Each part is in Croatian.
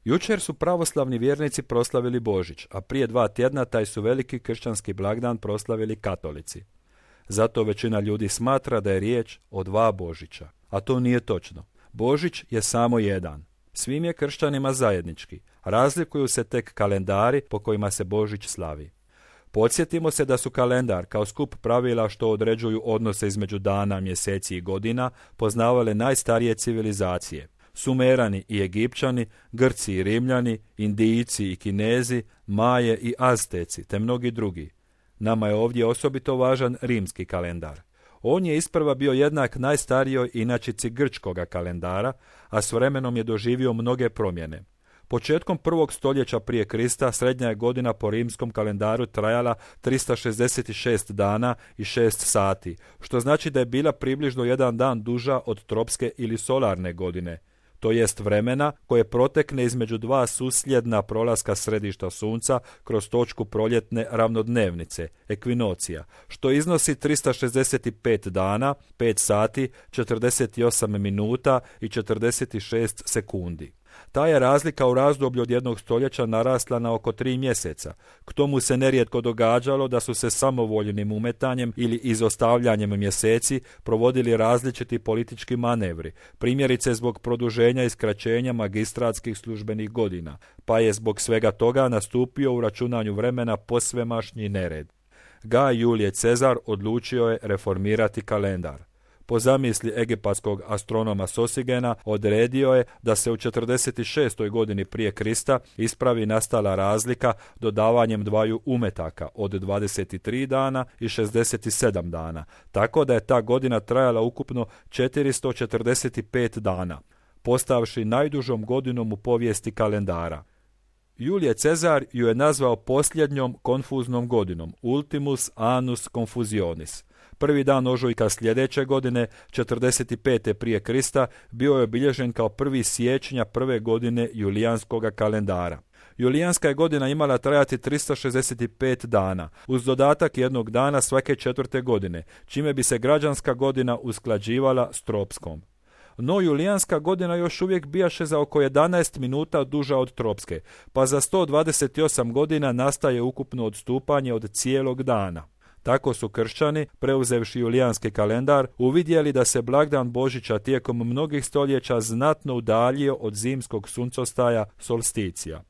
Jučer su pravoslavni vjernici proslavili Božić, a prije 2 tjedna taj su veliki kršćanski blagdan proslavili katolici. Zato većina ljudi smatra da je riječ o 2 Božića, a to nije točno. Božić je samo jedan. Svim je kršćanima zajednički, razlikuju se tek kalendari po kojima se Božić slavi. Podsjetimo se da su kalendar kao skup pravila što određuju odnose između dana, mjeseci i godina poznavale najstarije civilizacije. Sumerani i Egipćani, Grci i Rimljani, Indijci i Kinezi, Maje i Azteci, te mnogi drugi. Nama je ovdje osobito važan rimski kalendar. On je isprva bio jednak najstarijoj inačici grčkoga kalendara, a s vremenom je doživio mnoge promjene. Početkom 1. stoljeća prije Krista srednja je godina po rimskom kalendaru trajala 366 dana i 6 sati, što znači da je bila približno 1 dan duža od tropske ili solarne godine, to jest vremena koje protekne između 2 susljedna prolaska središta sunca kroz točku proljetne ravnodnevnice, ekvinocija, što iznosi 365 dana, 5 sati, 48 minuta i 46 sekundi. Ta je razlika u razdoblju od 1 stoljeća narasla na oko 3 mjeseca. K tomu se nerijetko događalo da su se samovoljnim umetanjem ili izostavljanjem mjeseci provodili različiti politički manevri, primjerice zbog produženja i skraćenja magistratskih službenih godina, pa je zbog svega toga nastupio u računanju vremena posvemašnji nered. Gaj Julije Cezar odlučio je reformirati kalendar. Po zamisli egipatskog astronoma Sosigena odredio je da se u 46. godini prije Krista ispravi nastala razlika dodavanjem 2 umetaka od 23 dana i 67 dana, tako da je ta godina trajala ukupno 445 dana, postavši najdužom godinom u povijesti kalendara. Julije Cezar ju je nazvao posljednjom konfuznom godinom, ultimus annus confusionis. Prvi dan ožujka sljedeće godine, 45. prije Krista, bio je obilježen kao 1. siječnja prve godine julijanskoga kalendara. Julijanska je godina imala trajati 365 dana, uz dodatak 1 dana svake 4. godine, čime bi se građanska godina usklađivala s tropskom. No julijanska godina još uvijek bijaše za oko 11 minuta duža od tropske, pa za 128 godina nastaje ukupno odstupanje od cijelog dana. Tako su kršćani, preuzevši julijanski kalendar, uvidjeli da se blagdan Božića tijekom mnogih stoljeća znatno udaljio od zimskog suncostaja solsticija.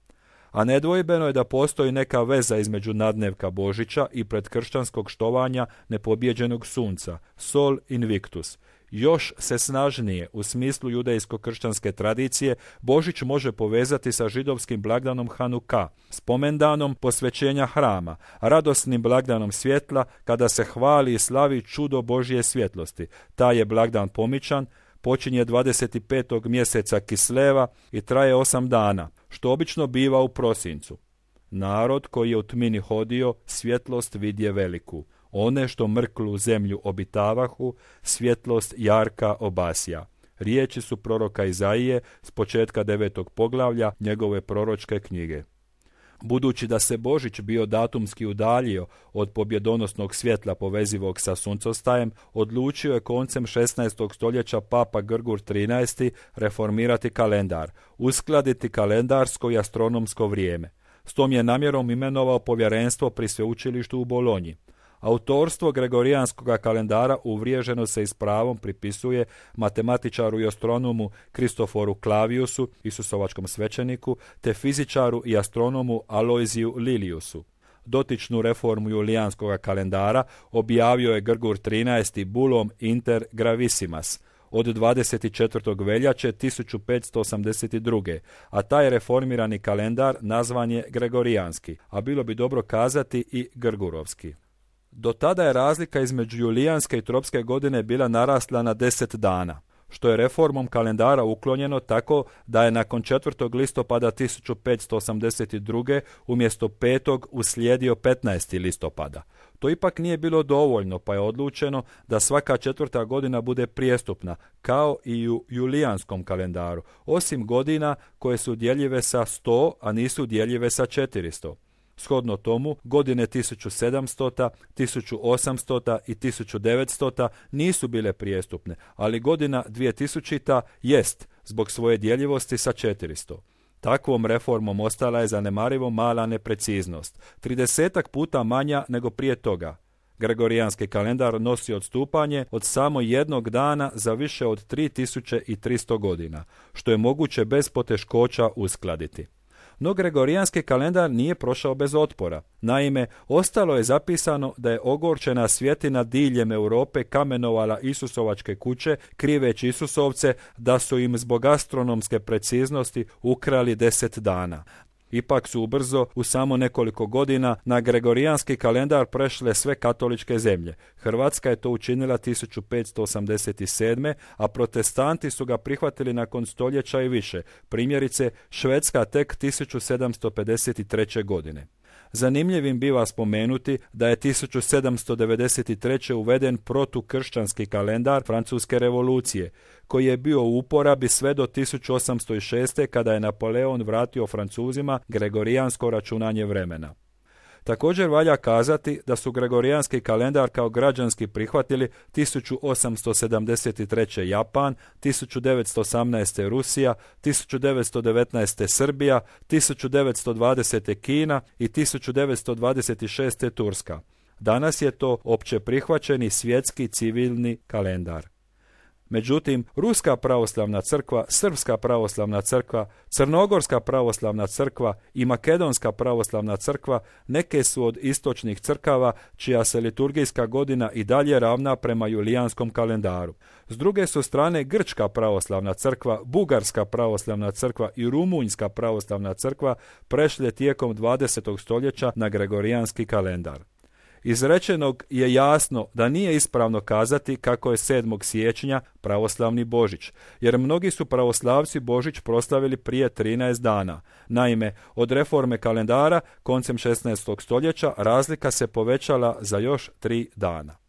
A nedvojbeno je da postoji neka veza između nadnevka Božića i predkršćanskog štovanja nepobjeđenog sunca, sol invictus. Još se snažnije, u smislu judejsko-kršćanske tradicije, Božić može povezati sa židovskim blagdanom Hanuka, spomendanom posvećenja hrama, radosnim blagdanom svjetla kada se hvali i slavi čudo Božje svjetlosti. Taj je blagdan pomičan, počinje 25. mjeseca Kisleva i traje 8 dana, što obično biva u prosincu. Narod koji je u tmini hodio, svjetlost vidje veliku. One što mrklu zemlju obitavahu, svjetlost jarka obasja. Riječi su proroka Izaije s početka 9. poglavlja njegove proročke knjige. Budući da se Božić bio datumski udaljio od pobjedonosnog svjetla povezivog sa suncostajem, odlučio je koncem 16. stoljeća Papa Grgur XIII reformirati kalendar, uskladiti kalendarsko i astronomsko vrijeme. S tom je namjerom imenovao povjerenstvo pri sveučilištu u Bolonji. Autorstvo gregorijanskog kalendara uvriježeno se i s pravom pripisuje matematičaru i astronomu Kristoforu Claviusu, isusovačkom svećeniku, te fizičaru i astronomu Aloiziju Liliusu. Dotičnu reformu julijanskog kalendara objavio je Grgur XIII bulom Inter Gravissimas od 24. veljače 1582. a taj reformirani kalendar nazvan je gregorijanski, a bilo bi dobro kazati i grgurovski. Do tada je razlika između julijanske i tropske godine bila narasla na 10 dana, što je reformom kalendara uklonjeno tako da je nakon 4. listopada 1582. umjesto 5. uslijedio 15. listopada. To ipak nije bilo dovoljno, pa je odlučeno da svaka 4. godina bude prijestupna, kao i u julijanskom kalendaru, osim godina koje su djeljive sa 100, a nisu djeljive sa 400. Shodno tomu, godine 1700, 1800 i 1900 nisu bile prijestupne, ali godina 2000 jest, zbog svoje djeljivosti sa 400. Takvom reformom ostala je zanemarivo mala nepreciznost, 30 puta manja nego prije toga. Gregorijanski kalendar nosi odstupanje od samo jednog dana za više od 3300 godina, što je moguće bez poteškoća uskladiti. No gregorijanski kalendar nije prošao bez otpora. Naime, ostalo je zapisano da je ogorčena svjetina diljem Europe kamenovala Isusovačke kuće, kriveći Isusovce da su im zbog astronomske preciznosti ukrali 10 dana. Ipak su ubrzo, u samo nekoliko godina, na gregorijanski kalendar prešle sve katoličke zemlje. Hrvatska je to učinila 1587. a protestanti su ga prihvatili nakon stoljeća i više, primjerice Švedska tek 1753. godine. Zanimljivim biva spomenuti da je 1793. uveden protukršćanski kalendar Francuske revolucije, koji je bio u uporabi sve do 1806. kada je Napoleon vratio Francuzima gregorijansko računanje vremena. Također valja kazati da su gregorijanski kalendar kao građanski prihvatili 1873. Japan, 1918. Rusija, 1919. Srbija, 1920. Kina i 1926. Turska. Danas je to opće prihvaćeni svjetski civilni kalendar. Međutim, Ruska pravoslavna crkva, Srpska pravoslavna crkva, Crnogorska pravoslavna crkva i Makedonska pravoslavna crkva neke su od istočnih crkava čija se liturgijska godina i dalje ravna prema julijanskom kalendaru. S druge su strane Grčka pravoslavna crkva, Bugarska pravoslavna crkva i Rumunjska pravoslavna crkva prešle tijekom 20. stoljeća na gregorijanski kalendar. Iz rečenog je jasno da nije ispravno kazati kako je 7. siječnja pravoslavni Božić, jer mnogi su pravoslavci Božić proslavili prije 13 dana. Naime, od reforme kalendara koncem 16. stoljeća razlika se povećala za još 3 dana.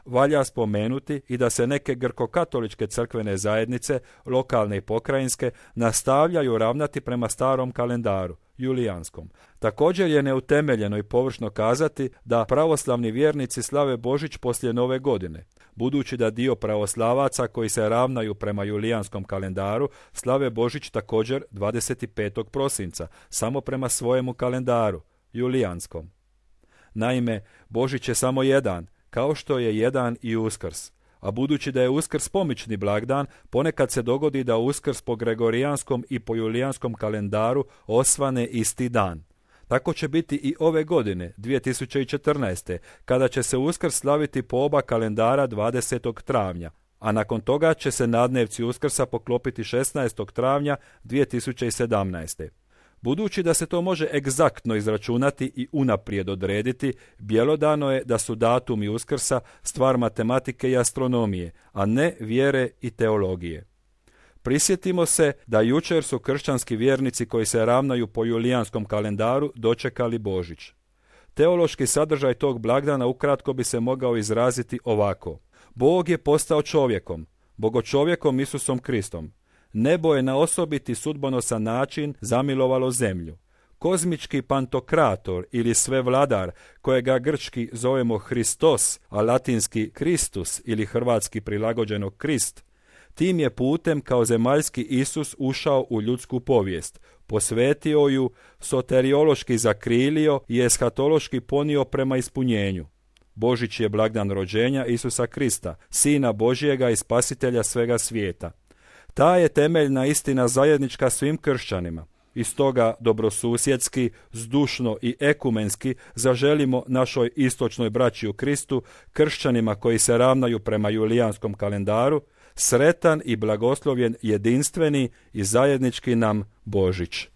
Valja spomenuti i da se neke grkokatoličke crkvene zajednice, lokalne i pokrajinske, nastavljaju ravnati prema starom kalendaru, julijanskom. Također je neutemeljeno i površno kazati da pravoslavni vjernici slave Božić poslije Nove godine, budući da dio pravoslavaca koji se ravnaju prema julijanskom kalendaru slave Božić također 25. prosinca, samo prema svojemu kalendaru, julijanskom. Naime, Božić je samo jedan, kao što je jedan i Uskrs. A budući da je Uskrs pomični blagdan, ponekad se dogodi da Uskrs po gregorijanskom i po julijanskom kalendaru osvane isti dan. Tako će biti i ove godine, 2014. kada će se Uskrs slaviti po oba kalendara 20. travnja, a nakon toga će se nadnevci Uskrsa poklopiti 16. travnja 2017. Budući da se to može egzaktno izračunati i unaprijed odrediti, bjelodano je da su datumi Uskrsa stvar matematike i astronomije, a ne vjere i teologije. Prisjetimo se da jučer su kršćanski vjernici koji se ravnaju po julijanskom kalendaru dočekali Božić. Teološki sadržaj tog blagdana ukratko bi se mogao izraziti ovako. Bog je postao čovjekom, bogočovjekom Isusom Kristom. Nebo je na osobiti sudbonosan način zamilovalo zemlju. Kozmički pantokrator ili svevladar, kojega grčki zovemo Hristos, a latinski Kristus ili hrvatski prilagođeno Krist, tim je putem kao zemaljski Isus ušao u ljudsku povijest, posvetio ju, soteriološki zakrilio i eshatološki ponio prema ispunjenju. Božić je blagdan rođenja Isusa Krista, Sina Božjega i Spasitelja svega svijeta. Ta je temeljna istina zajednička svim kršćanima. I stoga dobrosusjedski, zdušno i ekumenski zaželimo našoj istočnoj braći u Kristu, kršćanima koji se ravnaju prema julijanskom kalendaru, sretan i blagoslovljen jedinstveni i zajednički nam Božić.